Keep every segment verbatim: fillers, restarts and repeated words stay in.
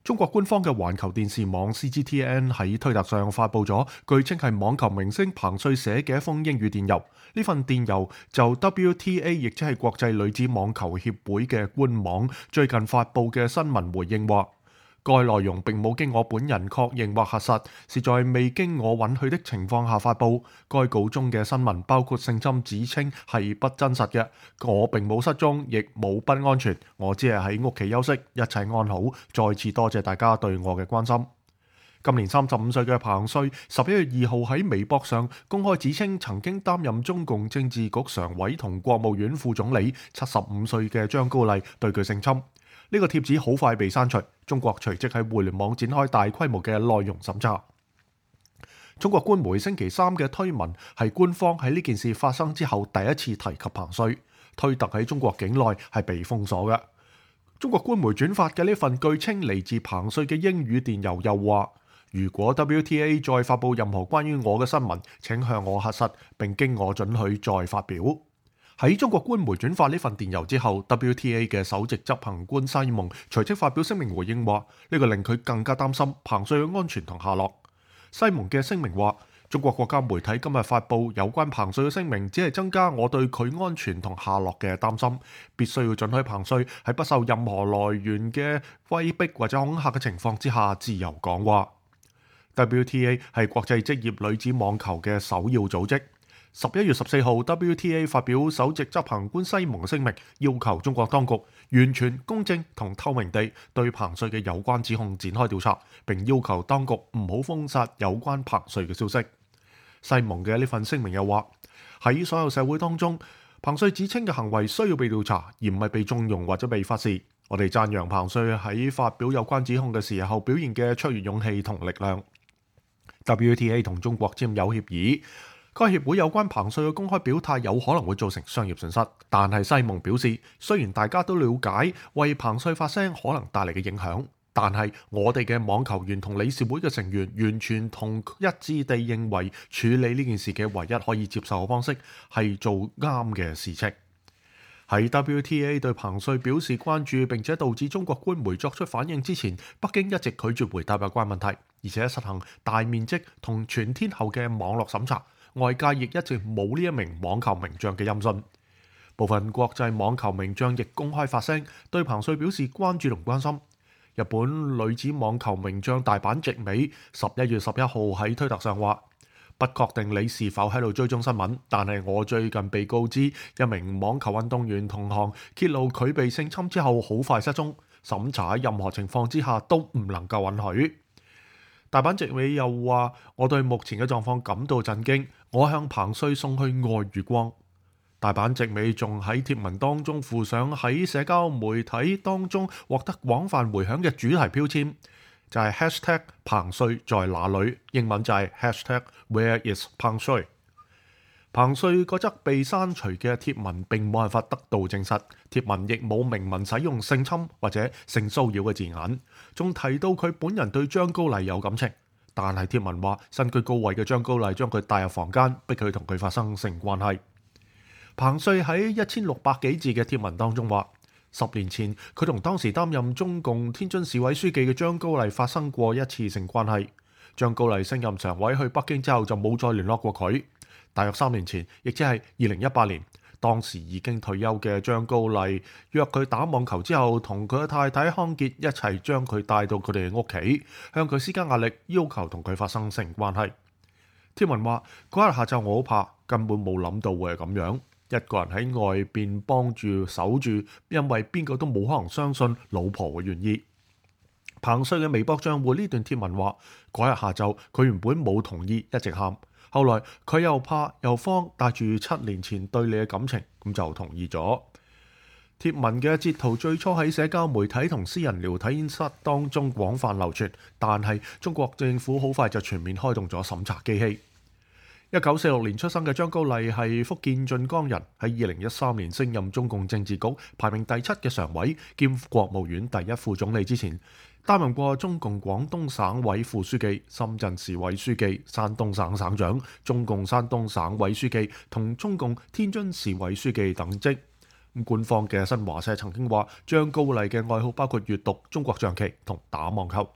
中國官方嘅環球電視網 C G T N 喺推特上發布咗，據稱係網球明星彭帥寫嘅一封英語電郵。呢份電郵就 W T A， 亦即係國際女子網球協會嘅官網最近發布嘅新聞回應話，該內容並冇經我本人確認或核實，是在未經我允許的情況下發布。該稿中嘅新聞包括性侵指稱係不真實嘅，我並冇失蹤，亦冇不安全，我只係喺屋企休息，一切安好。再次多謝大家對我嘅關心。今年三十五歲嘅彭帥，十一月二號喺微博上公開指稱曾經擔任中共政治局常委同國務院副總理七十五歲嘅張高麗對佢性侵。呢個貼子好快被刪除，中國隨即喺互聯網展開大規模嘅內容審查。中國官媒星期三嘅推文係官方喺呢件事發生之後第一次提及彭帥，推特喺中國境內係被封鎖嘅。中國官媒轉發嘅呢份據稱嚟自彭帥嘅英語電郵又話，如果 W T A 再發布任何關於我嘅新聞，請向我核實並經我准許再發表。喺中國官媒轉發呢份電郵之後， W T A 嘅首席執行官西蒙隨即發表聲明回應話，呢個令佢更加擔心彭帥嘅安全同下落。西蒙嘅聲明話，中國國家媒體今日發布有關彭帥嘅聲明，只係增加我對佢安全同下落嘅擔心，必須要准許彭帥喺不受任何來源嘅威逼或者恐嚇嘅情況之下自由講話。W T A 係國際職業女子網球嘅首要組織。十一月十四號 W T A 發表首席執行官西蒙嘅聲明，要求中國當局完全公正同透明地對彭帥嘅有關指控展開調查，並要求當局唔好封殺有關彭帥嘅消息。西蒙嘅呢份聲明又話，喺所有社會當中，彭帥指稱嘅行為需要被調查，而唔係被縱容或者被忽視。我哋讚揚彭帥喺發表有關指控嘅時候表現嘅卓越勇氣同力量。W T A 同中國簽有協議，該協會有關彭帥嘅公開表態有可能會造成商業損失，但係西蒙表示，雖然大家都了解為彭帥發聲可能帶嚟嘅影響，但係我哋嘅網球員同理事會嘅成員完全同一致地認為處理呢件事嘅唯一可以接受嘅方式係做啱嘅事情。喺 W T A 對彭帥表示關注並且導致中國官媒作出反應之前，北京一直拒絕回答有關問題，而且實行大面積同全天候嘅網絡審查。外界亦一直冇呢一名網球名將嘅音訊，部分國際網球名將亦公開發聲，對彭帥表示關注同關心。日本女子網球名將大阪直美十一月十一號喺推特上話，不確定你是否喺度追蹤新聞，但係我最近被告知一名網球運動員同行揭露佢被性侵之後好快失蹤，審查喺任何情況之下都唔能夠允許。大阪直美又話，我對目前嘅狀況感到震驚，我向彭帥送去愛與光。大阪直美仲喺貼文當中附上喺社交媒體當中獲得廣泛迴響嘅主題標籤，就係 hashtag 彭帥在哪裏，英文就係 hashtag where is 彭帥。彭帥嗰則被刪除嘅貼文並冇辦法得到證實，貼文亦冇明文使用性侵或者性騷擾嘅字眼，仲提到佢本人對張高麗有感情，但係貼文話身居高位嘅張高麗將佢帶入房間，逼佢同佢發生性關係。彭帥喺一千六百幾字嘅貼文當中話，十年前佢同當時擔任中共天津市委書記嘅張高麗發生過一次性關係，張高麗升任常委去北京之後就冇再聯絡過佢。大約三年前，亦即係二零一八年，當時已經退休嘅張高麗約佢打網球之後，同佢嘅太太康傑一齊將佢帶到佢哋嘅屋企，向佢施加壓力，要求同佢發生性關係。貼文話，嗰日下晝我好怕，根本冇諗到會係咁樣，一個人喺外邊幫住守住，因為邊個都冇可能相信老婆嘅願意。彭帥嘅微博賬戶呢段貼文話，嗰日下晝佢原本冇同意，一直喊。後來佢又怕又慌，帶住七年前對你嘅感情，咁就同意咗。貼文嘅截圖最初喺社交媒體同私人聊天室當中廣泛流傳，但係中國政府好快就全面開動咗審查機器。一九四六年出生嘅張高麗係福建晉江人，喺二零一三年升任中共政治局排名第七嘅常委兼國務院第一副總理之前，擔任過中共廣東省委副書記、深圳市委書記、山東省省長、中共山東省委書記同中共天津市委書記等職。咁官方嘅新華社曾經話，張高麗嘅愛好包括閱讀、中國象棋同打網球。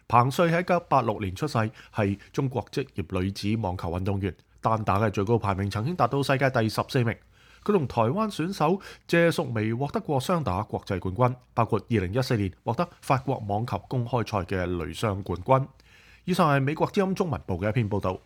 彭帥喺一九八六年出世，係中國職業女子網球運動員，單打嘅最高排名曾經達到世界第十四名。佢同台灣選手謝淑薇獲得過雙打國際冠軍，包括二零一四年獲得法國網球公開賽嘅女雙冠軍。以上係美國之音中文部嘅一篇報導。